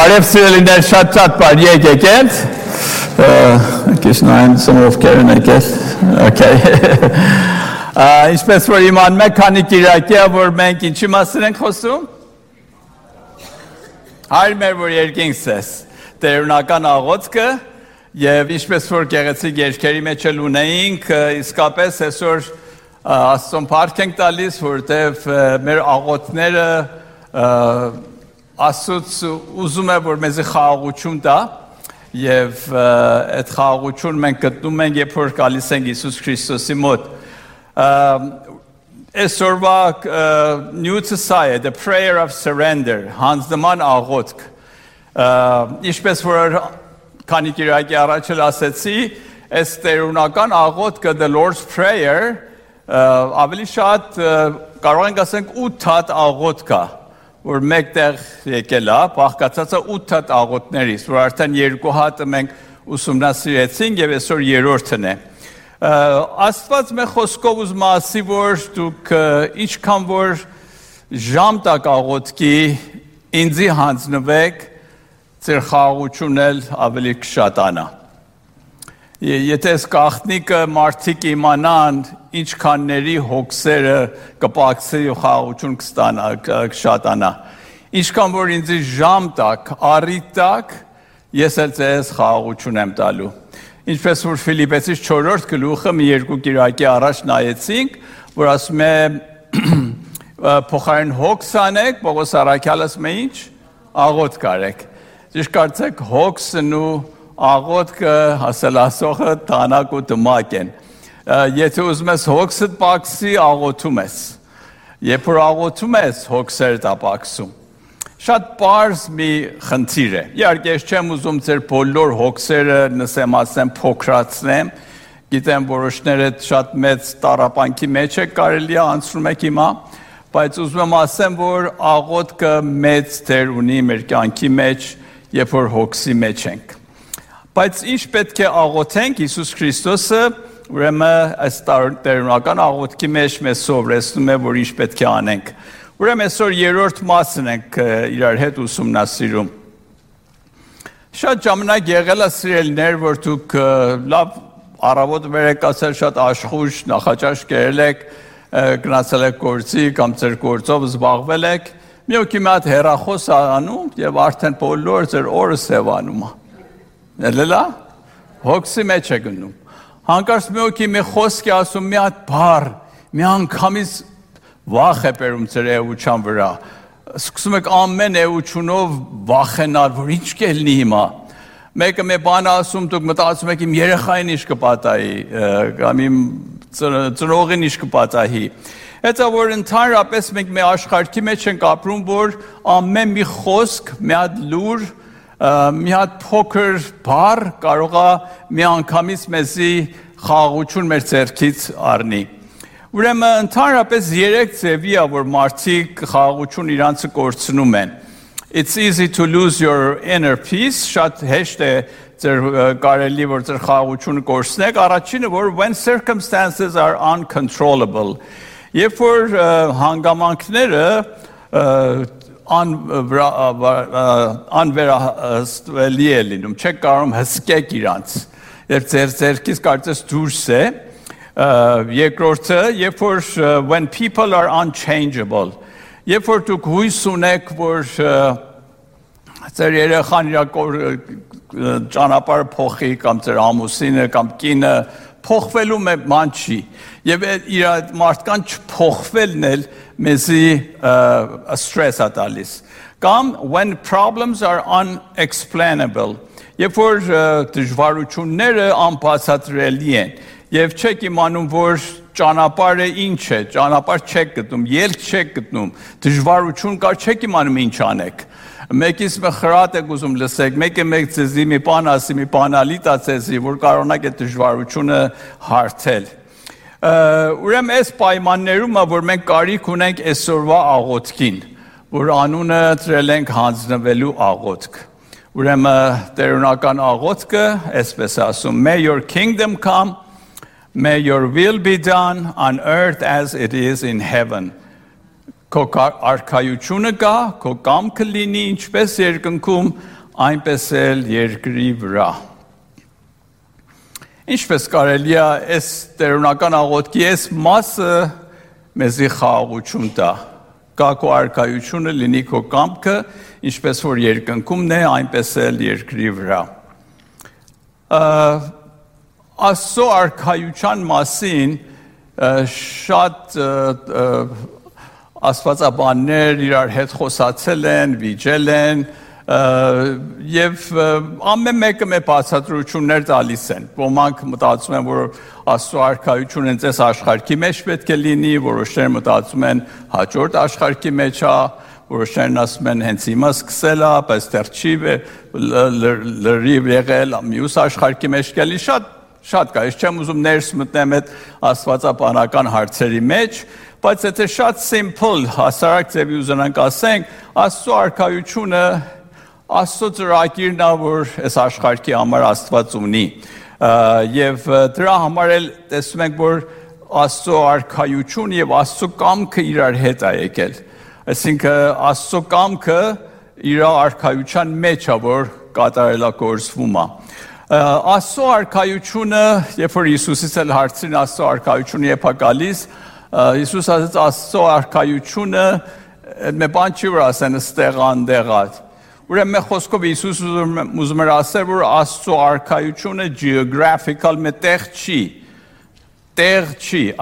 Բարև սիրելիներ, շատ բարի եկել։ Քիշնային սմով կերն եկել։ Okay։ Ինչպես որ իմանում եք, քանի կիրակի է, որ մենք ինչի մասին ենք խոսում։ Հայր մեր որ երկինքս տերունական աղոթքը եւ ինչպես որ գեղեցիկ երկերի մեջ էլ ունեինք, իսկապես այսօր Աստծուն փառք ենք տալիս, որտեվ մեր աղոթները Աստծուց ուզում է որ մեզ խաղաղություն տա եւ այդ խաղաղությունը մենք գտնում ենք երբ որ գալիս ենք Հիսուս Քրիստոսի մոտ այսօրվա նյութը սա է the prayer of surrender հանձնման աղոթք ինչպես որ քանի կիրակի առաջ էլ ասեցի այս տերունական աղոթքը the Lord's prayer ավելի շատ կարող ենք ասենք 8 հատ աղոթք է որ մեկտեղ եկել է, բաղկացած է 8 հատ աղոթներից, որ արդեն 2 հատը մենք ուսումնասիրեցինք եւ այսօր երրորդն է։ Աստված մեր խոսքով ուզում ասի, որ դուք ինչքան որ ժամ տակ աղոթքի ինձի հանձնվեք, ձեր խաղաղությունն էլ ավելի կշատանա։ Եթե այս գաղտնիքը մարդիկ իմանան ինչքանների հոգսերը կպակսի ու խաղաղություն կշատանա։ Ինչքան որ ինձ ժամ տակ, առիթ տակ, ես էլ ձեզ խաղաղություն եմ տալու։ Ինչպես որ Ֆիլիպեցիս 4-րդ գլուխը մի երկու կիրակի առաջ նայեցինք, որ ասում է փոխարեն հոգս անեք, Պողոս առաքյալը ասում է ինչ, աղոթք արեք։ Ճիշտ կարծեք հոգսն ու աղոթքը ասել ասողը տանակ ու դմակ են։ Եթե ուզում ես հոգսդ պակսի, աղոթում ես։ Երբ որ աղոթում ես, հոգսերդ ապակսում։ Շատ պարզ մի խնդիր է։ Իհարկե, ես չեմ ուզում ձեր բոլոր հոգսերը ասեմ փոքրացնեմ։ Գիտեմ, որոշները շատ մեծ տառապանքի մեջ է կարելի է անցնում եք հիմա, բայց ուզում եմ ասեմ, որ աղոթքը մեծ դեր ունի մեր կյանքի մեջ, երբ որ հոգսի մեջ ենք։ Բայց ինչ պետք է աղոթենք Հիսուս Քրիստոսը, ուրեմն այս տերունական աղոթքի մեջ մեզ սովորեցնում է, որ ինչ պետք է անենք։ Ուրեմն այսօր երրորդ մասն ենք իրար հետ ուսումնասիրում։ Շատ ժամանակ եղել է սիրելիներ, որ դուք լավ առավոտ վեր եք ասել, շատ աշխույժ նախաճաշ կերել եք, գնացել եք գործի կամ ձեր գործով զբաղվել եք, մի օքի մի հատ հեռախոս անում եւ արդեն բոլոր ձեր օրը սևանում է։ Էլելա, հոգսի մեջ է գնում։ Հանկարծ մի օքի մի խոսք է ասում մի հատ բառ, մի անգամից վախ է բերում ձեր էության վրա։ Սկսում եք ամեն էությունով վախենալ, որ ինչ կլինի հիմա։ Մեկը մի բան ասում, դուք մտածում եք իմ երեխային ինչ կպատահի, կամ իմ ծնողին ինչ կպատահի։ Հետո որ ընդհանրապես մենք մի աշխարհի մեջ ենք ապրում, որ ամեն մի խոսք, մի հատ լուր մի հատ փոքր բառ կարող է մի անգամից մեզի խաղաղություն մեր ձեռքից առնի։ Ուրեմն ընդհանրապես 3 ձևի է, որ մարդիկ խաղաղություն իրանցը կորցնում են։ It's easy to lose your inner peace, շատ հեշտ է ձեր կարելի որ ձեր խաղաղությունը կորցնեք։ Առաջինը որ when circumstances are uncontrollable, երբ որ հանգամանքները անվերահսկելի է լինում, չեք կարում հսկեք իրանց, երբ ձեր ձերքից կարծես դուրս է, երկրորդը, երբ որ when people are unchangeable, երբ որ դուք հույս ունեք, որ ձեր երեխան իր ճանապարհը փոխի կամ ձեր ամուսինը կամ կինը փոխվելու ման չի, եւ իր մարդկան չփոխվելն էլ մեզի stress է տալիս։ Կամ when problems are unexplainable, երբ որ դժվարությունները անբացատրելի են, եւ չեք իմանում, որ ճանապարհը ինչ է, ճանապարհ չեք գտնում, ելք չեք գտնում, դժվարություն կար, չեք իմանում ինչ անեք։ Մեկից մի խրատ եք ուզում լսեք, մեկը մեկ ձեզի մի բան ասի, մի բանալի տա ձեզի, որ կարողանաք այդ դժվարությունը հարթել։ Ուրեմն այս պայմաններում է, որ մենք կարիք ունենք այսօրվա աղոթքին, որ անունը դրել ենք հանձնվելու աղոթք։ Ուրեմն տերունական աղոթքը, այսպես ասում, May your kingdom come, may your will be done on earth as it is in heaven. Քո արքայությունը կա, քո կամքը լինի ինչպես երկնքում, այնպես էլ երկրի վրա։ Ինչպես կարելի է այս տերունական աղոթքի այս մասը մեզի խաղաղություն տա։ Կա քո արքայությունը, լինի քո կամքը, ինչպես որ երկնքումն է, այնպես էլ երկրի վրա։ Աստծո արքայության մասին շատ աստվածաբաններ իրար հետ խոսացել են, վիճել են, եւ ամեն մեկը մեր բացատրություններ տալիս են։ Ոմանք մտածում են, որ Աստծո արքայությունը այս աշխարհի մեջ պետք է լինի, որոշներ մտածում են հաջորդ աշխարհի մեջ է, որոշներն ասում են հենց հիմա սկսել է, բայց դեռ չի լրիվ եղել, մյուս աշխարհի մեջ կլինի, շատ կա, ես չեմ ուզում ներս մտնեմ այդ աստվածաբանական հարցերի մեջ, բայց եթե շատ simple, հասարակ ձևի ուզենանք ասենք, Աստծո արքայությունը Աստծո ծրագիրն է, որ այս աշխարհի համար Աստված ունի, եւ դրա համար էլ տեսնում ենք, որ Աստծո արքայությունը եւ Աստծո կամքը իրար հետ է եկել, այսինքն Աստծո կամքը իր արքայության մեջ է, որ կատարելագործվում է։ Աստծո արքայությունը, երբ որ Հիսուսից էլ հարցրին Աստծո արքայությունը երբ է գալիս, Հիսուս ասաց Աստծո արքայությունը մի բան չի որ ասեն ստեղ անդեղա։ Ուրեմն մեր խոսքով Հիսուս ուզում էր ասել, որ Աստծո արքայությունը geographical մտեղ չի,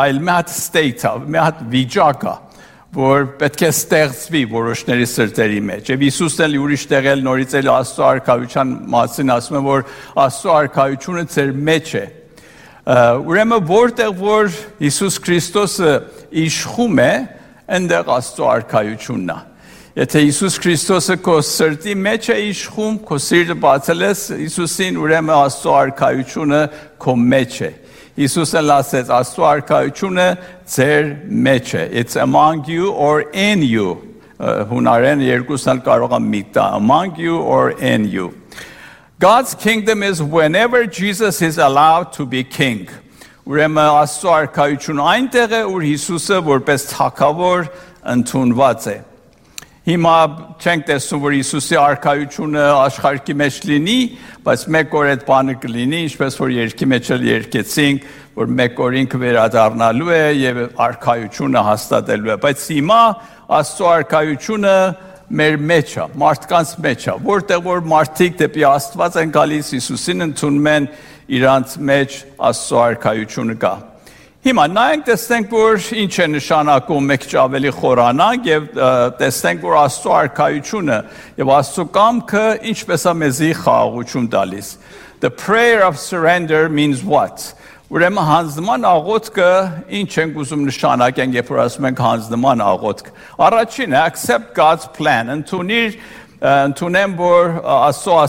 այլ մի հատ state է, մի հատ վիճակ է, որ պետք է ստեղծվի որոշների սրտերի մեջ։ Եվ Հիսուսն էլ ուրիշ տեղել նորից էլ Աստծո արքայության մասին ասում է, որ Աստծո արքայությունը ձեր մեջ է։ Ուրեմն որտեղ որ Հիսուս Քրիստոսը իշխում է, այնտեղ Աստծո արքայությունն է։ Եթե Հիսուս Քրիստոսը քո սրտի մեջ է իշխում, քո սիրտը բացել ես Հիսուսին, ուրեմն Աստծո արքայությունը քո մեջ է։ Հիսուսը ասեց Աստծո արքայությունը ձեր մեջ է։ It's among you or in you։ Հունարեն երկուսն էլ կարող է միտա, among you or in you։ God's kingdom is whenever Jesus is allowed to be king։ Ուրեմն Աստծո արքայությունը այնտեղ է, ուր Հիսուսը որպես թագավոր ընդունված է։ Հիմա չենք տեսնում, որ Հիսուսի արքայությունը աշխարհի մեջ լինի, բայց մեկ օր այդ բանը կլինի, ինչպես որ երկի մեջ էլ երկեցինք, որ մեկ օր ինքը վերադառնալու է եւ արքայությունը հաստատելու է, բայց հիմա Աստծո արքայությունը մեր մեջ է, մարդկանց մեջ է, որտեղ որ մարդիկ դեպի Աստված են գալիս, Հիսուսին ընդունում են, իրանց մեջ Աստծո արքայությունը կա։ Հիմա նայենք տեսնենք, որ ինչ է նշանակում մեկ ավելի խորանանք եւ տեսնենք, որ Աստծո արքայությունը եւ Աստծո կամքը ինչպես է մեզի խաղաղություն տալիս։ The prayer of surrender means what? Ուրեմն հանձնման աղոթքը ինչ ենք ուզում նշանակենք, երբ որ ասում ենք հանձնման աղոթք։ Առաջինը accept God's plan, ընդունեմ, որ Աստծո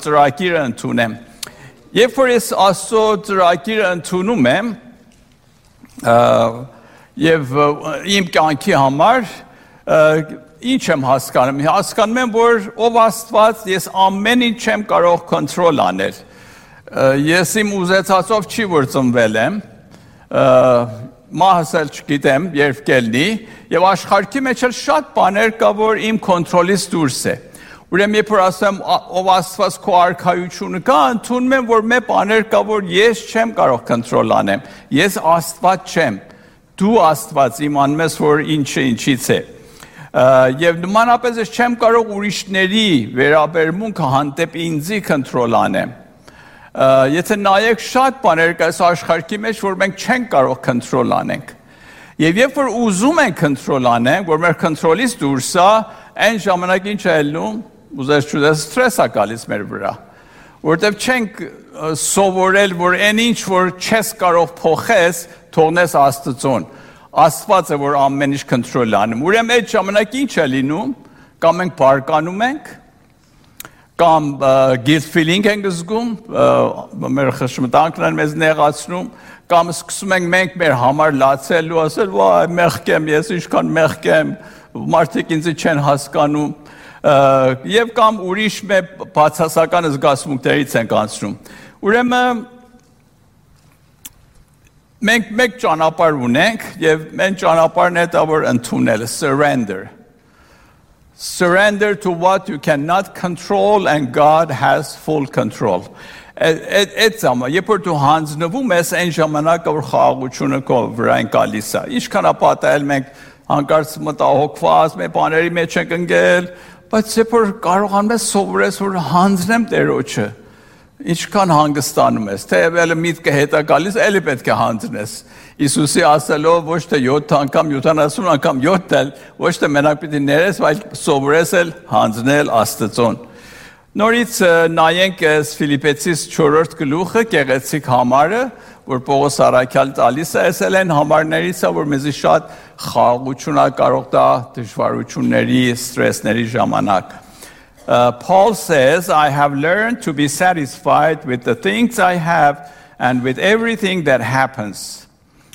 ծրագիրը ընդունեմ։ Երբ որ ես Աստծո ծրագիրը ընդունում եմ, եւ իմ կյանքի համար ինչ եմ հասկանում։ Հասկանում եմ, որ ով Աստված, ես ամեն ինչ չեմ կարող կոնտրոլ անել։ Ես իմ ուզեցածով չի որ ծնվել եմ, մահս էլ չգիտեմ, երբ կելնի, եւ աշխարհի մեջ էլ շատ բաներ կա, որ իմ կոնտրոլից դուրս է։ Ուրեմն երբ որ ասեմ ով Աստված քո արքայությունը կա, ընդունում եմ, որ մի բաներ կա, որ ես չեմ կարող կոնտրոլ անեմ։ Ես Աստված չեմ։ Դու Աստված իմանում ես, որ ինչը ինչից է։ Եվ նմանապես ես չեմ կարող ուրիշների վերաբերմունքը հանդեպ ինձի կոնտրոլ անեմ։ Եթե նայեք շատ բաներ կա այս աշխարհի մեջ, որ մենք չենք կարող կոնտրոլ անենք։ Եվ երբ որ ուզում ենք կոնտրոլ անենք, որ մեր կոնտրոլից դուրս է, այն ժամանակ ինչ է ելնում, ուզես չուզես սթրես է գալիս մեր վրա, որտեվ չենք սովորել, որ այն ինչ, որ չես կարող փոխես, թողնես Աստծուն։ Աստված է, որ ամեն ինչ կոնտրոլ անում։ Ուրեմն այդ ժամանակ ինչ է լինում, կամ մենք բարկանում ենք, կամ guilt feeling ենք զգում, մեր խշմտանքն են մեզ նեղացնում, կամ սկսում ենք մենք մեր համար լացել ու ասել, վայ, մեղք եմ, ես ինչքան մեղք եմ, մարդիկ ինձ չեն հասկանում, եւ կամ ուրիշ մեր բացասական զգացմունքներից ենք անցնում։ Ուրեմն Մենք մեկ ճանապարհ ունենք եւ մենք ճանապարհն է դա որ ընդունել surrender. Surrender to what you cannot control and God has full control. Այդ զամը, երբ որ դու հանձնվում ես այն ժամանակ որ խաղաղությունը քո վրան գալիս է։ Ինչքան ապատել մենք հանկարծ մտահոգված, մեր բաների մեջ ենք ընկել, բայց երբ որ կարողանում ես սովորես որ հանձնեմ Տերոջը, ինչքան հանգստանում ես, թե ևել միտքը հետա գալիս, էլի պետք է հանձնես։ Իսուսի ասելով ոչ թե 7 անգամ, 70 անգամ 7 ոչ թե մենակ պիտի ներես, այլ սովորես էլ հանձնել Աստծուն։ Նորից նայենք Ֆիլիպեցիս 4-րդ գլուխը, գեղեցիկ համարը, որ Պողոս առաքյալ տալիս է, ասել են համարներից է, որ մեզի շատ խաղաղություն կարող տա դժվարությունների, ստրեսների ժամանակ։ Paul says, I have learned to be satisfied with the things I have and with everything that happens.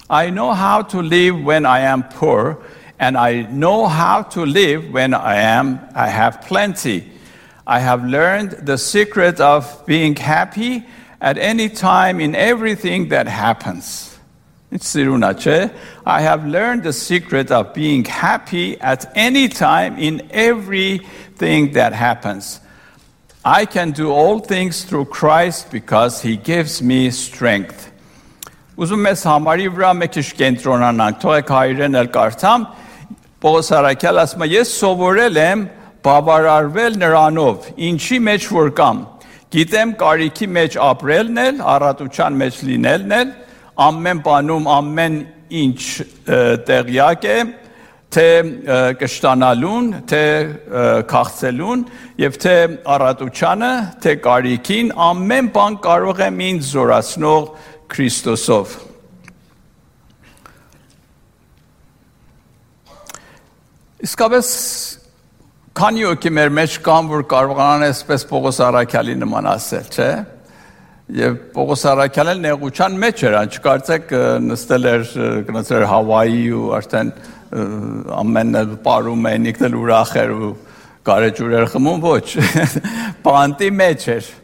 I know how to live when I am poor, and I know how to live when I have plenty. I have learned the secret of being happy at any time in everything that happens. I have learned the secret of being happy at any time in everything that happens. I can do all things through Christ because he gives me strength. Ուզում ես համարի վրա մեկ քիչ կենտրոնանանք, թողեք հայերեն էլ կարդամ, Պողոս առաքյալը ասում է, ես սովորել եմ բավարարվել նրանով, ինչի մեջ որ կամ, գիտեմ կարիքի մեջ ապրելն էլ, առատության մեջ լինելն էլ, ամեն բանում ամեն ինչ տեղյակ է, թե կշտանալուն, թե քաղցելուն, եւ թե առատությանը, թե կարիքին, ամեն բան կարող եմ ինձ զորացնող Քրիստոսով։ Իսկապես քանի օքի մեր մեջ կան, որ կարողանան այսպես Պողոս առաքյալի նման ասել, չէ՞։ Եվ Պողոս առաքյալը նեղության մեջ էր, չկարծեք նստել էր, գնացել էր Հավայի ու արդեն ամենը պարում էին, ինքն ուրախ էր ու գարեջուր էր խմում, ոչ, բանտի մեջ էր։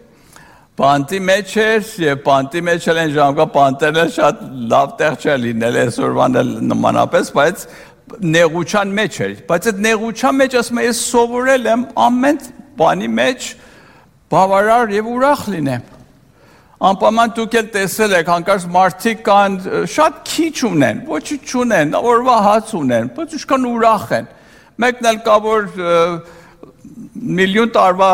Բանտի մեջ էր եւ բանտի մեջ էլ են ժամկա բանտերը շատ լավ տեղ չէ լինել այսօրվան էլ նմանապես, բայց նեղության մեջ էր։ Բայց այդ նեղության մեջ ասում եմ ես սովորել եմ ամեն բանի մեջ բավարար եւ ուրախ լինեմ։ Անպայման դուք էլ տեսել եք, հանկարծ մարդիկ կան շատ քիչ ունեն, ոչինչ չունեն, օրվա հաց ունեն, բայց ինչքան ուրախ են։ Մեկն էլ կա որ միլիոն տարվա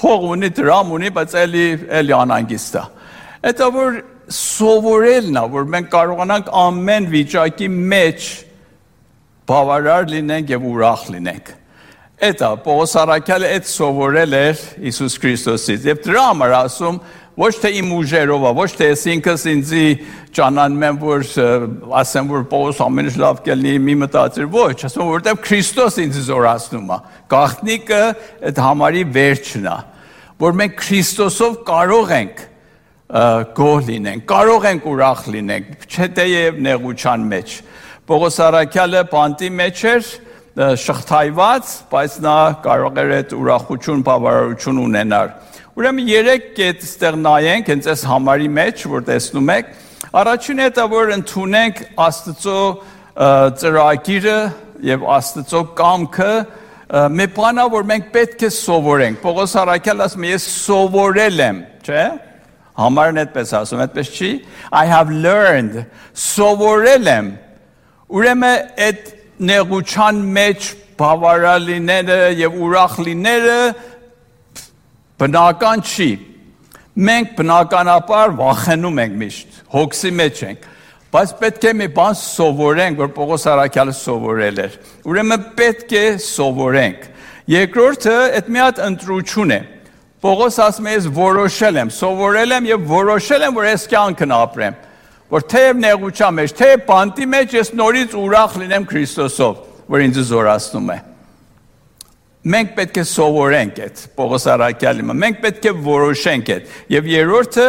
փող ունի, դրամ ունի, բայց էլի անհանգիստ է։ Դա որ սովորելն է, որ մենք կարողանանք ամեն վիճակի մեջ բավարար լինենք եւ ուրախ լինենք։ Դա Պողոս առաքյալը այդ սովորել էր Հիսուս Քրիստոսից եւ դրա համար ասում ոչ թե իմ ուժերով, ոչ թե ես ինքս ինձի ճանաչում եմ, որ ասեմ որ Պողոս ամեն ինչ լավ կլինի, մի մտածիր, ոչ, ասում որովհետեւ Քրիստոս ինձ զորացնում է։ Գաղտնիքը այդ համարի վերջն է, որ մենք Քրիստոսով կարող ենք գոհ լինենք, կարող ենք ուրախ լինենք, չէ թեև նեղության մեջ։ Պողոս առաքյալը բանտի մեջ էր շղթայված, բայց նա կարող էր այդ ուրախություն, բավարարություն ունենալ։ Ուրեմն երեք կետ ստեղ նայենք, հենց այս համարի մեջ, որ տեսնում եք, առաջինը դա որ ընդունենք Աստծո ծրագիրը եւ Աստծո կամքը, մի բան է, որ մենք պետք է սովորենք։ Պողոս առաքյալը ասում է, ես սովորել եմ, չէ՞։ Համարն այդպես ասում, այդպես չի։ I have learned, սովորել եմ։ Ուրեմն այդ նեղության մեջ բավարար լինելը եւ ուրախ լինելը բնական չի։ Մենք բնականաբար վախենում ենք միշտ, հոգսի մեջ ենք, բայց պետք է մի բան սովորենք, որ Պողոս առաքյալը սովորել էր։ Ուրեմն պետք է սովորենք։ Երկրորդը այդ մի հատ ընտրություն է։ Պողոս ասում է ես որոշել եմ, սովորել եմ եւ որոշել եմ, որ այս կյանքն ապրեմ։ Որ թեև նեղության մեջ, թեև բանտի մեջ ես նորից ուրախ լինեմ Քրիստոսով, որ ինձ զորացնում է։ Մենք պետք է սովորենք այդ Պողոս առաքյալի, մենք պետք է որոշենք այդ։ Եվ երրորդը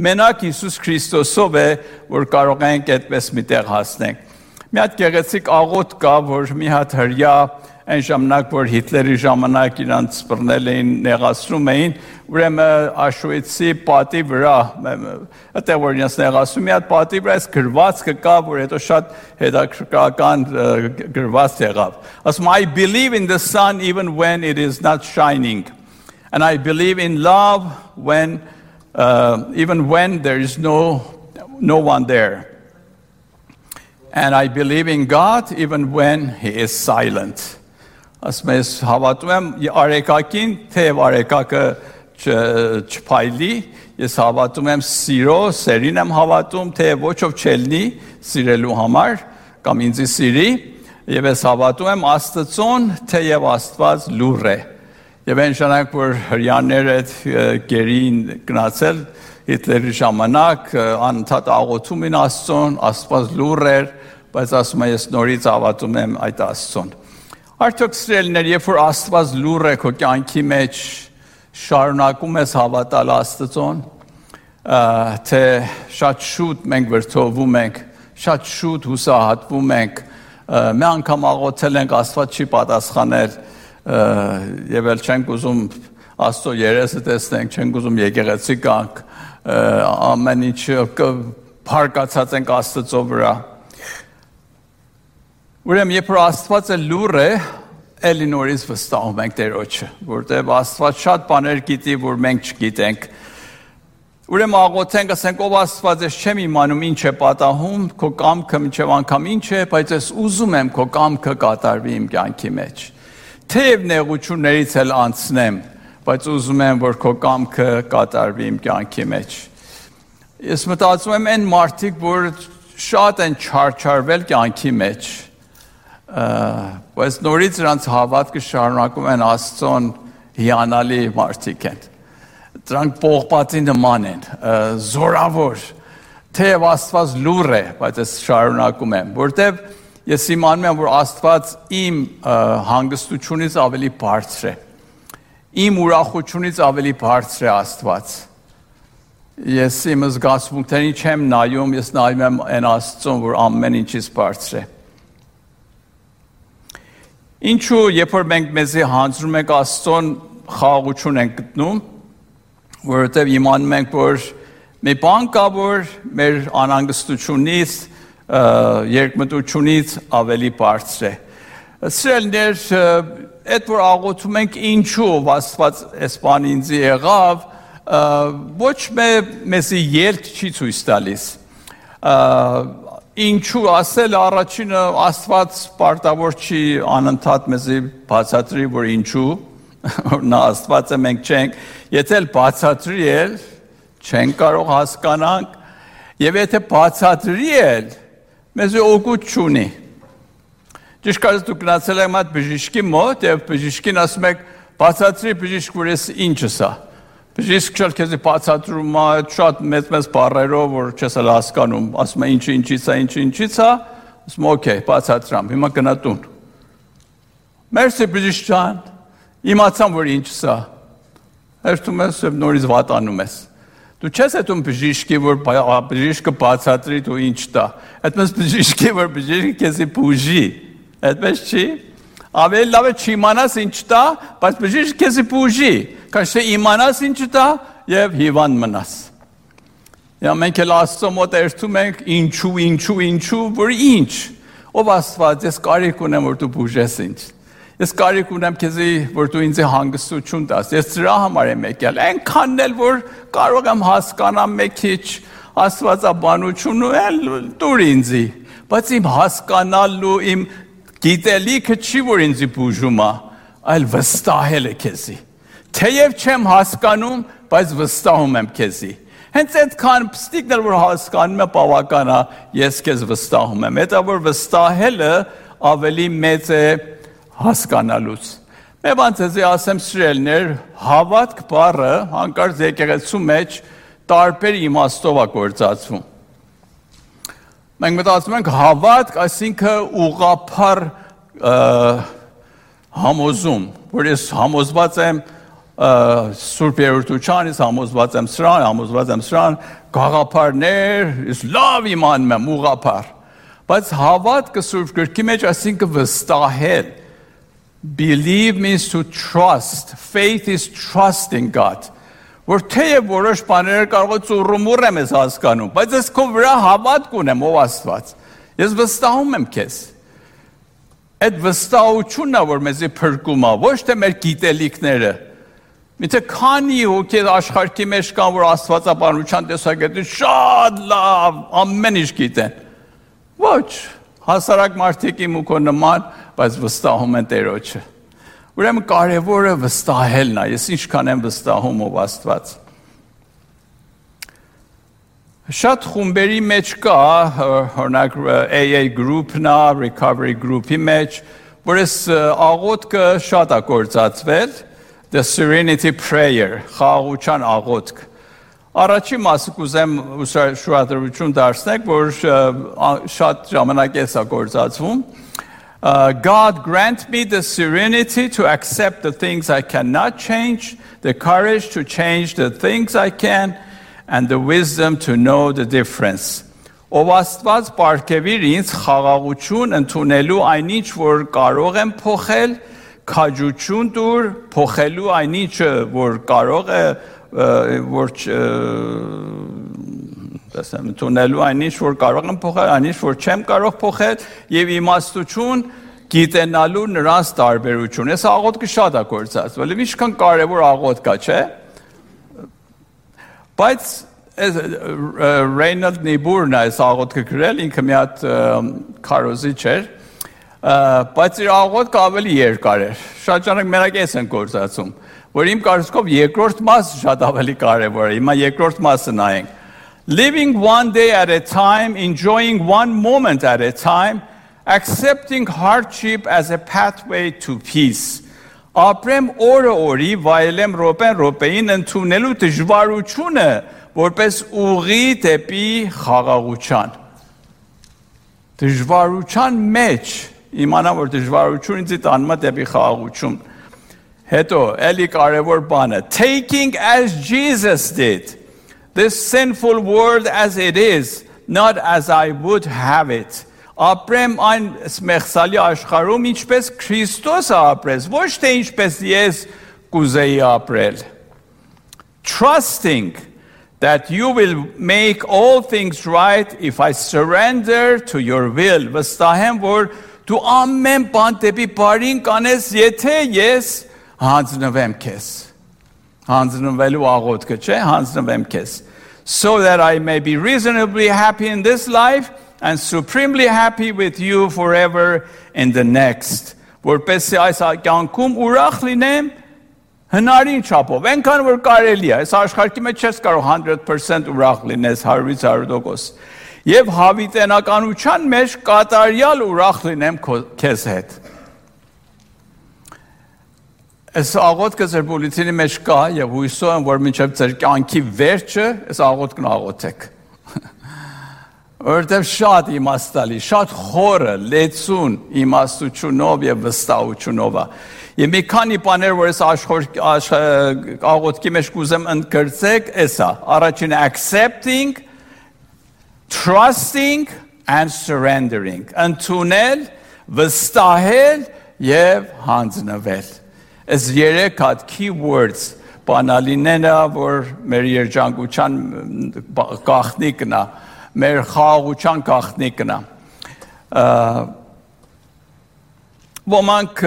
մենակ Հիսուս Քրիստոսով է, որ կարող ենք այդպես միտեղ հասնենք։ Մի հատ գեղեցիկ աղոթք կա, որ մի հատ հրյա այն ժամանակ, որ Հիտլերի ժամանակ իրանց բռնել էին, նեղացնում էին, ուրեմն Auschwitz-ի պատի վրա, այդտեղ որ իրենց նեղացնում, մի հատ պատի վրա այս գրվածքը կա, որ հետո շատ հետաքրքրական գրված եղավ։ Ասում I believe in the sun even when it is not shining, and I believe in love when even when there is no one there. And I believe in God even when He is silent. Ասում ես հավատում եմ արեկակին, թեև արեկակը չփայլի, ես հավատում եմ սիրո, սերին եմ հավատում, թեև ոչով չելնի սիրելու համար, կամ ինձի սիրի, եւ ես հավատում եմ Աստծուն, թեև Աստված լուր է։ Եվ այն ժամանակ, որ հրյաները գերին գնացել Հիտլերի ժամանակ, անընդհատ աղոթում են Աստծուն, Աստված լուր էր, բայց ասում եմ ես նորից հավատում եմ այդ Աստծուն։ Արդյոք սիրելիներ, երբ որ Աստված լուր է քո կյանքի մեջ, շարունակում ես հավատալ Աստծուն, թե շատ շուտ մենք վրդովվում ենք, շատ շուտ հուսահատվում ենք, մի անգամ աղոթել ենք, Աստված չի պատասխանել, եւ էլ չենք ուզում Աստծո երեսը տեսնենք, չենք ուզում եկեղեցի գանք, ամեն ինչ փարկացած ենք Աստծո վրա։ Ուրեմն երբ որ Աստվածը լուր է, էլի նորից վստահում ենք Տերոջը, որտեղ Աստված շատ բաներ գիտի, որ մենք չգիտենք։ Ուրեմն աղոթենք, ասենք, ով Աստված, ես չեմ իմանում ինչ է պատահում, քո կամքը մինչև անգամ ինչ է, բայց ես ուզում եմ քո կամքը կատարվի իմ կյանքի մեջ։ Թեև նեղություններից էլ անցնեմ, բայց ուզում եմ, որ քո կամքը կատարվի իմ կյանքի մեջ։ Ես մտածում եմ այն մարդիկ, որ շատ են չարչարվել կյանքի մեջ, բայց նորից նրանց հավատքը շարունակում են Աստծուն, հիանալի մարդիկ են։ Դրանք պողպատի նման են, զորավոր, թեև Աստված լուր է, բայց ես շարունակում եմ, որտեվ ես իմանում եմ, որ Աստված իմ հանգստությունից ավելի բարձր է, իմ ուրախությունից ավելի բարձր է Աստված։ Ես իմ զգացմունքներին չեմ նայում, ես նայում եմ այն Աստծուն, որ ամեն ինչից բարձր է։ Ինչու, երբ որ մենք մեզի հանձնում ենք Աստծուն, խաղաղություն ենք գտնում, որովհետև իմանում ենք, որ մի բան կա, որ մեր անհանգստությունից, երկմտությունից ավելի բարձր է։ Սիրելիներ, այդ որ աղոթում ենք ինչու Աստված այս բանը ինձ եղավ, ոչ մեզի ելք չի ցույց տալիս։ Ինչու ասել առաջինը Աստված պարտավոր չի անընդհատ մեզի բացատրի, որ ինչու, նա Աստված է, մենք չենք, եթե բացատրի էլ չենք կարող հասկանանք, եւ եթե բացատրի էլ մեզի օգուտ չունի։ Ճիշտ կարծես դուք գնացել եք այդ բժիշկի մոտ եւ բժիշկին ասում եք բացատրի բժիշկ, որ ես ինչս է։ Բժիշկը քեզ բացատրում է շատ մեծ բառերով, որ չես հասկանում, ասում է ինչից է, ասում օքեյ, բացատրամ, հիմա գնա տուն։ Մերսի բժիշկ ջան, իմացամ, որ ինչս է։ Հերթում ես եւ նորից վատանում ես։ Դու չես հետում բժիշկի, որ բժիշկը բացատրի դու ինչ տա։ Այդպես բժիշկի, որ բժիշկը քեզի բուժի։ Այդպես չի։ Ավելի լավ է չիմանաս ինչ տա, բայց բժիշկը քեզի բուժի։ Քան թե իմանաս ինչ տա եւ հիվանդ մնաս։ Եվ մենք էլ Աստծո մոտ երթում ենք ինչու, որ ինչ։ Ով Աստված, ես կարիք ունեմ, որ դու բուժես ինձ։ Ես կարիք ունեմ քեզի, որ դու ինձ հանգստություն տաս։ Ես դրա համար եմ եկել։ Այնքանն էլ որ կարող եմ հասկանամ մի քիչ Աստվածաբանությունը էլ դուր ինձի։ Բայց իմ հասկանալու, իմ գիտելիքը չի, որ ինձ բուժում է, այլ վստահել է քեզի։ Թեև չեմ հասկանում, բայց վստահում եմ քեզի։ Հենց այդքան պստիկն էլ որ հասկանում եմ բավական է, ես քեզ վստահում եմ։ Դա որ վստահելը ավելի մեծ է հասկանալուց։ Մեր բանցեզի ասեմ սիրելիներ, հավատք բառը հանկարծ եկեղեցու մեջ տարբեր իմաստով է գործածվում։ Մենք մտածում ենք հավատք, այսինքն ուղղափառ համոզում, որ ես համոզված եմ Սուրբ Երրորդությանից, համոզված եմ սրան, գաղափարներ, ես լավ իմանում եմ ուղղափառ։ Բայց հավատքը Սուրբ Գրքի մեջ այսինքն վստահել, Believe means to trust. Faith is trusting God. Որ թեև որոշ բաներ կարող է ծուռումուռ եմ ես հասկանում, բայց ես քո վրա հավատք ունեմ ով Աստված։ Ես վստահում եմ քեզ։ Այդ վստահությունն է, որ մեզի փրկում է, ոչ թե մեր գիտելիքները։ Միթե քանի հոգի աշխարհի մեջ կան, որ Աստվածաբանության տեսակետից շատ լավ ամեն ինչ գիտեն։ Ոչ, հասարակ մարդիկ իմ ու քո նման, բայց վստահում են Տերոջը։ Ուրեմն կարևորը վստահելն է, ես ինչքան եմ վստահում ով Աստված։ Շատ խումբերի մեջ կա, օրինակ AA group-ն է, recovery group-ի մեջ, որ այս աղոթքը շատ է գործածվել, the serenity prayer, խաղաղության աղոթք։ Առաջի մասը կուզեմ շուրադրություն դարձնեք, որ շատ ժամանակ է սա գործածվում։ God grant me the serenity to accept the things I cannot change, the courage to change the things I can, and the wisdom to know the difference. Ով Աստված պարգևիր ինձ խաղաղություն ընդունելու այնինչ, որ կարող եմ փոխել, քաջություն տուր փոխելու այնինչը, որ կարող է, որ ընդունելու այնինչ, որ կարող եմ փոխել, այնինչ, որ չեմ կարող փոխել, եւ իմաստություն գիտենալու նրանց տարբերություն։ Այս աղոթքը շատ է գործածվել, եւ ինչքան կարեւոր աղոթք է, չէ՞։ Բայց Reinhold Niebuhr-ն այս աղոթքը գրել, ինքը մի հատ քարոզիչ էր, բայց իր աղոթքը ավելի երկար էր։ Շատ ժամանակ մենակ էս են գործածում, որ իմ կարծիքով երկրորդ մասը շատ ավելի կարևոր է։ Հիմա երկրորդ մասը նայենք։ Living one day at a time, enjoying one moment at a time, accepting hardship as a pathway to peace. Ապրեմ օրը օրի, վայելեմ րոպեն րոպեին, ընդունելու դժվարությունը որպես ուղի դեպի խաղաղության։ Դժվարության մեջ իմանամ, որ դժվարությունը ինձ տանում է դեպի խաղաղություն։ Հետո էլի կարևոր բանը, taking as Jesus did this sinful world as it is, not as I would have it. Ապրեմ այն մեղսալի աշխարհում ինչպես Քրիստոսը ապրեց, ոչ թե ինչպես ես կուզեի ապրել։ Trusting that you will make all things right if I surrender to your will. Վստահեմ, որ դու ամեն բան դեպի բարին կանես, եթե ես հանձնվեմ քեզ։ Հանձնվելու աղոթքը, չէ՞, հանձնվեմ քեզ։ So that I may be reasonably happy in this life and supremely happy with you forever in the next. Որպեսզի այս կյանքում ուրախ լինեմ հնարին չափով, այնքան որ կարելի է, այս աշխարհի մեջ չես կարող 100% ուրախ լինես 100%, եւ հավիտենականության մեջ կատարյալ ուրախ լինեմ քեզ հետ։ Այս աղոթքը ձեր բուլետինի մեջ կա եւ հույսով եմ, որ մինչեւ ձեր կյանքի վերջը այս աղոթքն աղոթեք։ Որտեւ շատ իմաստալի, շատ խորը, լեցուն իմաստությունով եւ վստահությունով է։ Եվ մի քանի բաներ, որ այս աղոթքի մեջ կուզեմ ընդգրկեք, էսա։ Առաջինը accepting, trusting and surrendering. Ընդունել, վստահել եւ հանձնվել։ Այս երեք հատ keywords բանալիներն է, որ մեր երջանկության գաղտնիքն է, մեր խաղաղության գաղտնիքն է։ Ոմանք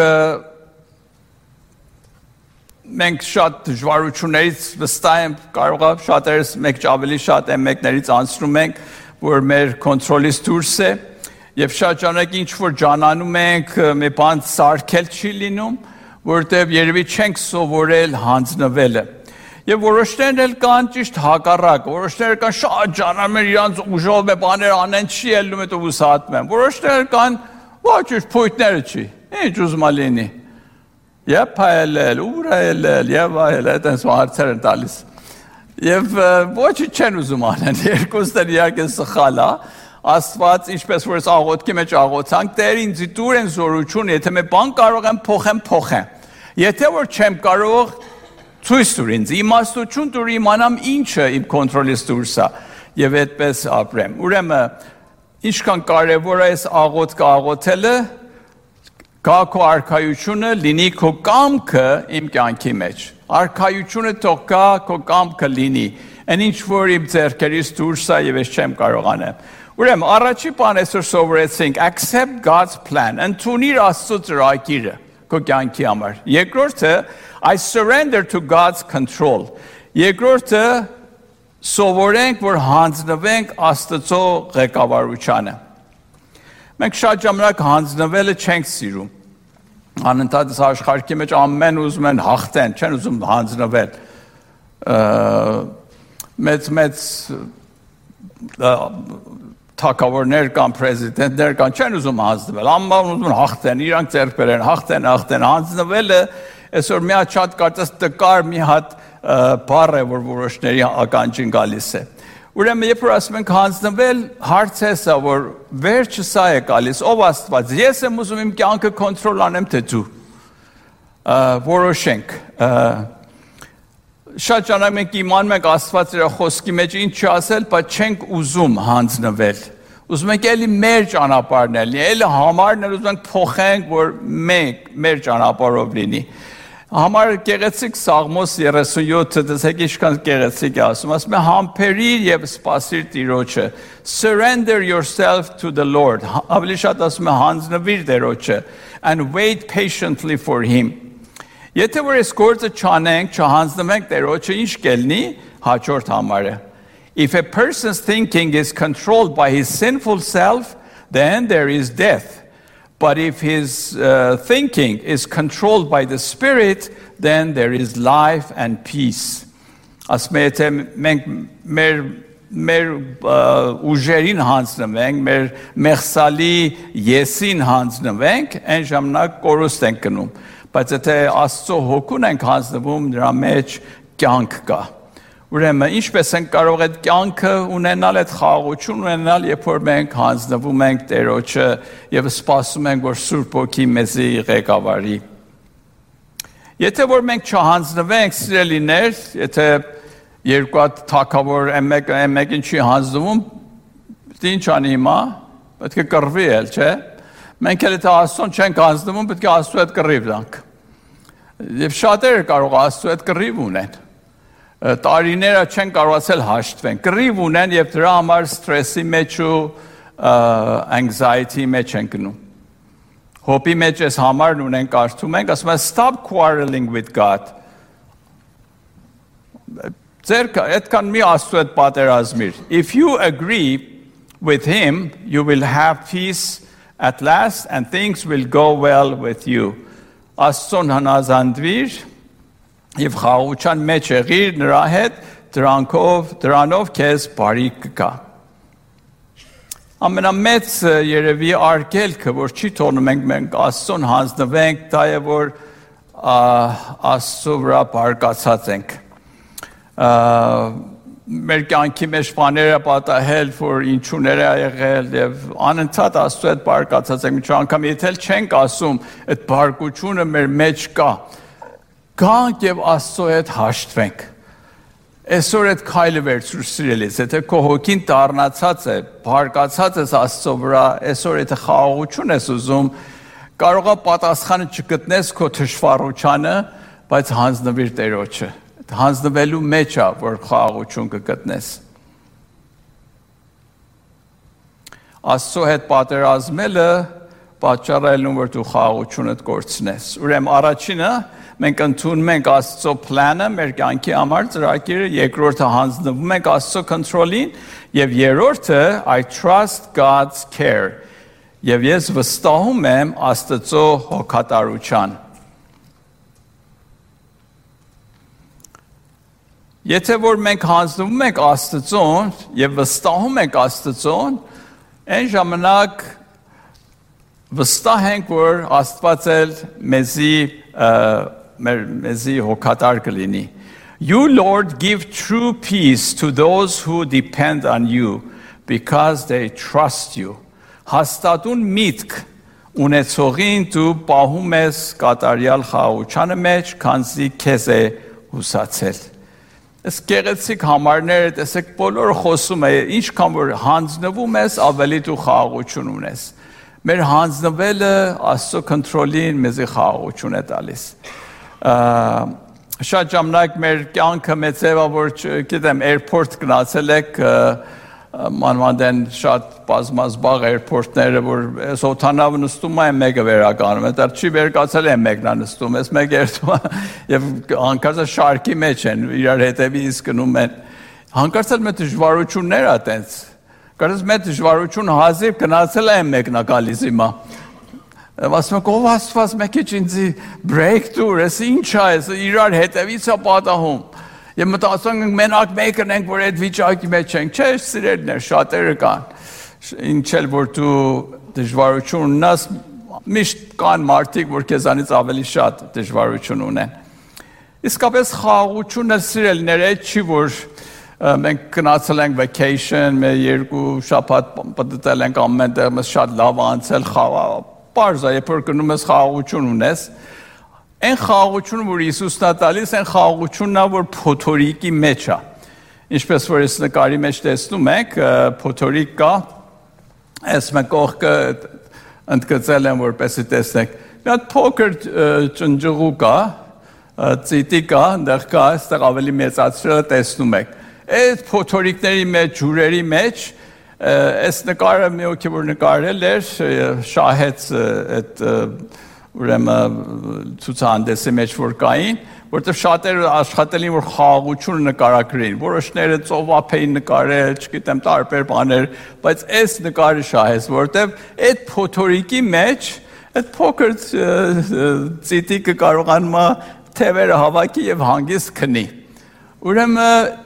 մենք շատ դժվարություններից վստահ եմ, կարող է շատերս մեկ ավելի շատ են, մեկներից անցնում ենք, որ մեր կոնտրոլից դուրս է, եւ շատ ժամանակ ինչ որ ջանանում ենք, մի բան սարքել չի լինում, որտեղ երևի չենք սովորել հանձնվելը։ Եվ որոշներն էլ կան ճիշտ հակառակ, որոշները կան շատ ջանանում են իրանց ուժով է բաներ անեն, չի ելնում է ու սատում են։ Որոշները կան ոչ ճիշտ փույթները չի։ Ինչ ուզում լինի։ Եվ փայելել, ուր այլել, եւ այլ, այդպես հարցեր են տալիս։ Եվ ոչինչ չեն ուզում անեն, երկուսն էլ իհարկե սխալ է։ Աստված, ինչպես որ աղոթքի մեջ աղոթանք, Տեր ինձ տուր են զորություն, եթե մի բան կարող եմ փոխեմ։ Եթե որ չեմ կարող, ցույց տուր ինձ, իմաստություն տուր իմանամ ինչը իմ կոնտրոլից դուրս է եւ այդպես ապրեմ։ Ուրեմն ինչքան կարեւոր է այս աղոթքը աղոթելը, Կա քո արքայությունը, լինի քո կամքը իմ կյանքի մեջ։ Արքայությունը թող կա, քո կամքը լինի։ Այն ինչ որ իմ ձեռքերից դուրս է եւ ես չեմ կարող անեմ։ Ուրեմն առաջի բանը այսօր սովորեցինք accept God's plan, ընդունիր Աստծո ծրագիրը քո կյանքի համար։ Երկրորդը I surrender to God's control։ Երկրորդը սովորենք, որ հանձնվենք Աստծո ղեկավարությանը։ Մենք շատ ժամանակ հանձնվելը չենք սիրում։ Անընդհատ աշխարհի մեջ ամեն ուզում են հաղթեն, չեն ուզում հանձնվել։ Մեծ թագավորներ կամ պրեզիդենտներ կան, չեն ուզում հանձնվել, ամեն ուզում են հաղթեն, իրանք ձեռք բերեն, հաղթեն, հանձնվելը այսօր մի հատ շատ կարծես տկար մի հատ բառ է, որ որոշների ականջին գալիս է։ Ուրեմն երբ որ ասում ենք հանձնվել, հարցը սա, որ վերջը սա է գալիս, ով Աստված, ես եմ ուզում իմ կյանքը կոնտրոլ անեմ, թե դու։ Որոշենք։ Շատ ժամանակ մենք իմանում ենք Աստված իր խոսքի մեջ ինչ ասել, բայց չենք ուզում հանձնվել։ Ուզում ենք էլի մեր ճանապարհն է, էլի համարն ուզում ենք փոխենք, որ մենք մեր ճանապարհով լինի։ Համար գեղեցիկ Սաղմոս 37-ը դեսեք ինչքան գեղեցիկ է ասում է համբերիր եւ սպասիր Տիրոջը surrender yourself to the Lord ավելի շատ ասում է հանձնվիր Տիրոջը and wait patiently for him Եթե որ այս գործը չանենք չհանձնվենք Տիրոջը ինչ կլինի հաջորդ համարը If a person's thinking is controlled by his sinful self then there is death But if his thinking is controlled by the Spirit, then there is life and peace. Ասմեթե մենք մեր ուժերին հանձնվենք, մեր մեղսալի եսին հանձնվենք, այն ժամանակ կորուստ ենք գնում։ Բայց եթե Աստծո հոգուն ենք հանձնվում, նրա մեջ կյանք կա։ Ուրեմն ինչպես ենք կարող այդ կյանքը ունենալ, այդ խաղաղություն ունենալ, երբ որ մենք հանձնվում ենք Տերոջը եւ սպասում ենք, որ Սուրբ Հոգի մեզի ղեկավարի։ Եթե որ մենք չհանձնվենք, սիրելիներ, եթե երկու հատ թագավոր մեկին չի հանձնվում, ինչ անի հիմա, պետք է կռվի էլ, չէ՞։ Մենք էլ եթե Աստծուն չենք հանձնվում, պետք է Աստծու հետ կռիվ տանք։ Եվ շատերը կարող Աստծու հետ կռիվ ունեն։ Տարիները չեն կարողացել հաշտվեն, կռիվ ունեն եւ դրա համար սթրեսի մեջ ու anxiety մեջ են գնում։ Հոպի մեջ այս համարն ունեն կարդում ենք, ասում է stop quarreling with God։ Ձերքը այդքան մի Աստծու հետ պատերազմիր։ If you agree with him, you will have peace at last and things will go well with you։ Աստծուն հնազանդվիր Եվ խաղաղության մեջ եղիր նրա հետ, դրանով քեզ բարիք կգա։ Ամենամեծ երևի արգելքը, որ չի թողնում մենք Աստծուն հանձնվենք, դա է որ Աստծո վրա բարկացած ենք։ Մեր կյանքի մեջ բաները պատահել, որ ինչուներ է եղել եւ անընդհատ Աստծո հետ բարկացած ենք։ Ինչ անգամ եթե չենք ասում, այդ բարկությունը մեր մեջ կա։ Գանք եւ Աստծո հետ հաշտվենք։ Այսօր այդ քայլը վերցրու սիրելիս, եթե քո հոգին դառնացած է, բարկացած ես Աստծո վրա, այսօր եթե խաղաղություն ես ուզում, կարող է պատասխանը չգտնես քո թշվառությանը, բայց հանձնվիր Տերոջը։ Հանձնվելու մեջ է, որ խաղաղություն կգտնես։ Աստծո հետ պատերազմելը պատճառ որ դու խաղաղությունդ կորցնես։ Ուրեմն առաջինը մենք ընդունում ենք Աստծո պլանը մեր կյանքի համար ծրագիրը, երկրորդը հանձնվում ենք Աստծո կոնտրոլին, եւ երրորդը I trust God's care։ Եվ ես վստահում եմ Աստծո հոգատարության։ Եթե որ մենք հանձնվում ենք Աստծոն եւ վստահում ենք Աստծոն, այն ժամանակ վստահ ենք, որ Աստված էլ մեզի հոգատար կլինի։ You, Lord, give true peace to those who depend on you because they trust you. Հաստատուն միտք ունեցողին դու պահում ես կատարյալ խաղաղության մեջ, քանզի քեզ է հուսացել։ Այս գեղեցիկ համարները տեսեք բոլորը խոսում է, ինչքան որ հանձնվում ես, ավելի դու խաղաղություն ունես։ մեր հանձնվելը Աստծո կոնտրոլին մեզի խաղաղություն է տալիս։ Շատ ժամանակ մեր կյանքը մեծ է, որ գիտեմ, airport գնացել եք, մանավանդ շատ բազմազբաղ airport-ները, որ այս օդանավը նստում է, մեկը վերականում է, դա չի վերկացել է մեկն է նստում, այս մեկը երթում է, եւ հանկարծ շարքի մեջ են, իրար հետևից գնում են, հանկարծ էլ մեր դժվարություններ ա տենց, կարծես մեր դժվարություն հազիվ գնացել է մեկն է գալիս հիմա, ասում եք, ով Աստված մեկ է ինձի breakthrough, այս ինչ է, իրար հետևից է պատահում, եւ մտածում ենք մենակ մեկն ենք, որ այդ վիճակի մեջ ենք, չէ, սիրելիներ, շատերը կան, ինչ էլ որ դու դժվարություն ունես, միշտ կան մարդիկ, որ քեզանից ավելի շատ դժվարություն ունեն։ Իսկապես խաղաղությունը սիրելիներ, այդ չի որ մենք գնացել ենք vacation, մեր երկու շաբաթ պատտել ենք ամեն տեղ, մեզ շատ լավ անցել, պարզ է, երբ որ գնում ես խաղաղություն ունես, այն խաղաղությունը, որ Հիսուսն է տալիս, այն խաղաղությունն է, որ փոթորիկի մեջ է։ Ինչպես որ ես նկարի մեջ տեսնում եք, փոթորիկ կա, այս մեկ կողքը ընդգծել եմ, որպեսզի տեսնեք։ Մի հատ փոքր ճնճղու կա, ծիտի կա, այնտեղ կա, այստեղ ավելի մեծացրելը տեսնում եք։ Այդ փոթորիկների մեջ, ջուրերի մեջ, այս նկարը մի օքի որ նկարել էր, շահեց այդ ուրեմն ցուցահանդեսի մեջ որ կային, որտեղ շատերը աշխատել էին որ խաղաղությունը նկարագրեին, որոշները ծովափ էին նկարել, չգիտեմ տարբեր բաներ, բայց այս նկարը շահեց, որտեղ այդ փոթորիկի մեջ այդ փոքր ծիտիկը կարողանում է թևերը հավաքի եւ հանգիստ քնի։ Ուրեմն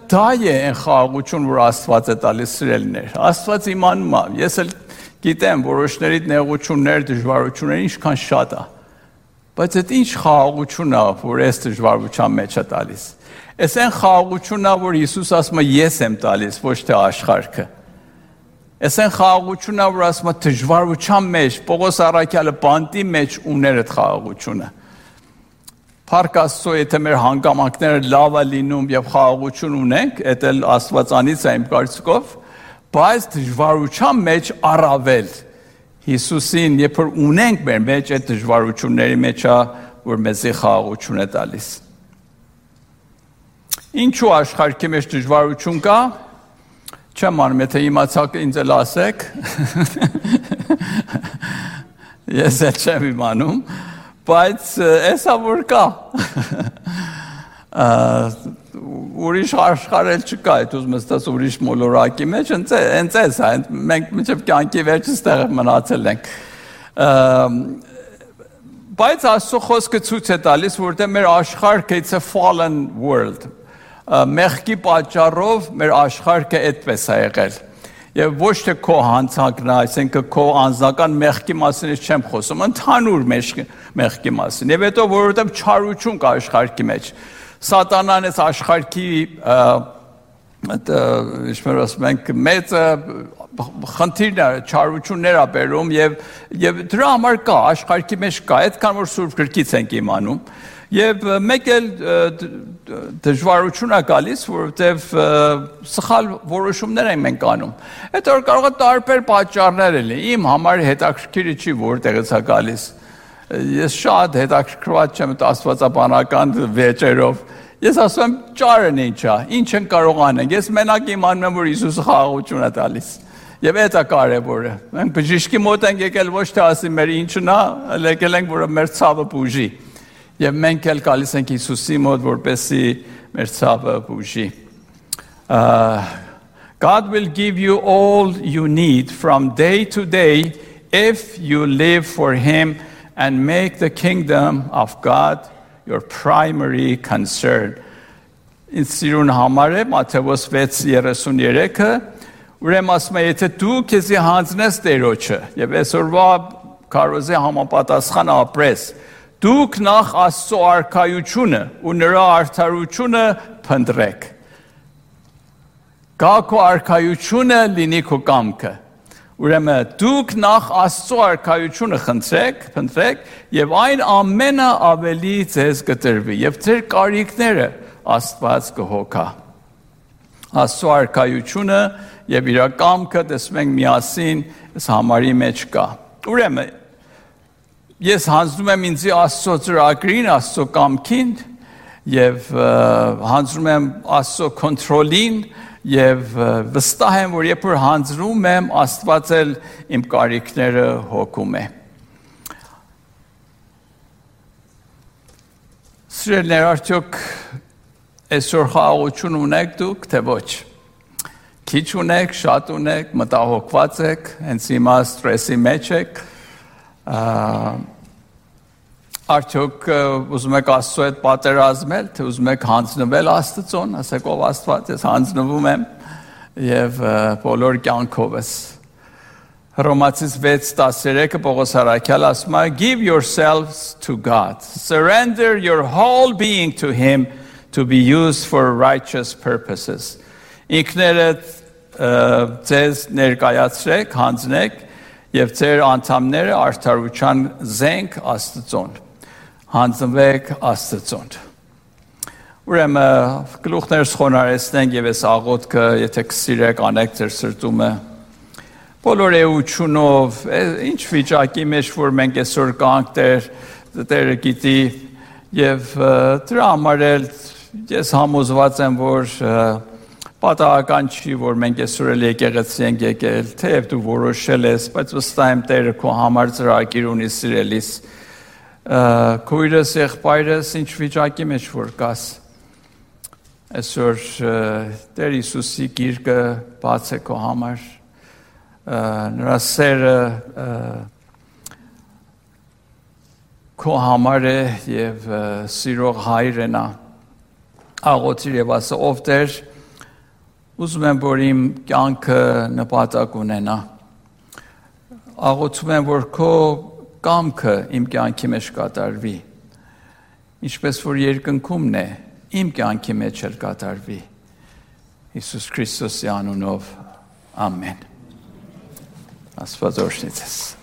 դա է այն խաղաղություն, որ Աստված է տալիս սիրելիներ։ Աստված իմանում է, ես էլ գիտեմ որոշների նեղություններ, դժվարություններ ինչքան շատ է։ Բայց այդ ինչ խաղաղություն է, որ այս դժվարության մեջ է տալիս։ Այս այն խաղաղությունն է, որ Հիսուս ասում է ես եմ տալիս, ոչ թե աշխարհը։ Այս այն խաղաղությունն է, որ ասում է դժվարության մեջ, Պողոս առաքյալը բանտի մեջ ուներ այդ խաղաղությունը։ Փառք Աստծո, եթե մեր հանգամանքները լավ է լինում եւ խաղաղություն ունենք, դա էլ Աստվածանից է իմ կարծիքով, բայց դժվարության մեջ առավել Հիսուսին, երբ որ ունենք մեր մեջ այդ դժվարությունների մեջ է, որ մեզի խաղաղություն է տալիս։ Ինչու աշխարհի մեջ դժվարություն կա։ Չեմ անում, եթե իմացաք ինձ էլ ասեք։ Ես էլ չեմ իմանում, բայց էսա որ կա։ Ուրիշ աշխարհել չկա, այդ ուզում ես տես ուրիշ մոլորակի մեջ, հենց էս է, մենք մինչև կյանքի վերջից տեղ մնացել ենք։ Բայց Աստծո խոսքը ցույց է տալիս, որտեղ մեր աշխարհը it's a fallen world։ Մեղքի պատճառով մեր աշխարհը այդպես է եղել։ Եվ ոչ թե քո հանցանքն է, այսինքն քո անձնական մեղքի մասին չեմ խոսում, ընդհանուր մեղքի մասին։ Եվ հետո որովհետև չարություն կա աշխարհի մեջ։ Սատանան այս աշխարհի ինչպես ասում ենք, մեծ խնդիրներ, չարություններ ա բերում եւ դրա համար կա աշխարհի մեջ կա, այդքան որ Սուրբ Գրքից ենք իմանում։ Եվ մեկ էլ դժվարություն է գալիս, որովհետև սխալ որոշումներ ենք անում։ Այդ որ կարող է տարբեր պատճառներ լինի։ Իմ համար հետաքրքիրը չի որտեղից է գալիս։ Ես շատ հետաքրքրված չեմ աստվածաբանական վեճերով։ Ես ասում եմ ճարն ինչ է, ինչ են կարող անենք։ Ես մենակ իմանում եմ, որ Հիսուսը խաղաղություն է տալիս։ Եվ դա է կարևորը։ Մենք բժիշկի մոտ ենք եկել ոչ թե ասի մեր ինչն է, եկել ենք, որ մեր ցավը բուժի։ Եվ մենք էլ գալիս ենք Հիսուսի մոտ, որպեսզի մեր ցավը բուժի։ God will give you all you need from day to day if you live for Him and make the kingdom of God your primary concern. Ինձ համար է Մատթեոս 6:33-ը, ուրեմն ասում է, եթե դու քեզի հանձնես Տերոջը եւ այսօրվա քարոզի համապատասխան ապրես, դուք նախ Աստծո արքայությունը ու նրա արդարությունը փնտրեք։ Գա քո արքայությունը լինի քո կամքը։ Ուրեմն դուք նախ Աստծո արքայությունը փնտրեք եւ այն ամենը ավելի ձեզ կտրվի եւ ձեր կարիքները Աստված կհոգա։ Աստծո արքայությունը եւ իր կամքը տեսնենք միասին այս համարի մեջ կա։ Ուրեմն ես հանձնում եմ ինձ Աստծո ծրագրին, Աստծո կամքին եւ հանձնում եմ Աստծո կոնտրոլին եւ վստահ եմ, որ երբ որ հանձնում եմ, Աստված էլ իմ կարիքները հոգում է։ Սիրելիներ, արդյոք այսօր խաղաղություն ունեք դուք, թե ոչ։ Քիչ ունեք, շատ ունեք, մտահոգված եք, հենց հիմա ստրեսի մեջ եք, արդյոք ուզում եք Աստծո հետ պատերազմել, թե ուզում եք հանձնվել Աստծուն, ասեք ով Աստված, ես հանձնվում եմ եւ բոլոր կյանքովս։ Հռոմացիս 6:13 Պողոս առաքյալը ասում է, give yourselves to God, surrender your whole being to him to be used for righteous purposes. Ինքներդ ձեզ ներկայացրեք, հանձնեք եւ ձեր անդամները արդարության զենք Աստծուն։ Հանձնվեք Աստծուն։ Ուրեմն գլուխներս խոնարհեցնենք եւ այս աղոթքը, եթե կսիրեք, անեք ձեր սրտումը։ Բոլոր էությունով, ինչ վիճակի մեջ որ մենք այսօր կանք Տերը գիտի եւ դրա համար էլ ես համոզված եմ, որ պատահական չի, որ մենք այսօր էլ եկեղեցի ենք եկել, թեև դու որոշել ես, բայց վստահ եմ Տերը քո համար ծրագիր ունի սիրելիս։ Քույրս, եղբայրս, ինչ վիճակի մեջ որ կաս, այսօր Տեր Հիսուսի գիրկը բաց է քո համար, նրա սերը քո համար է եւ սիրող հայր է նա։ Աղոթիր եւ ասա, ով Տեր, ուզում եմ, որ իմ կյանքը նպատակ ունենա։ Աղոթում եմ, որ քո կամքը իմ կյանքի մեջ կատարվի։ Ինչպես որ երկնքումն է, իմ կյանքի մեջ էլ կատարվի։ Հիսուս Քրիստոսի անունով, ամեն։ Աստված օրհնի ձեզ։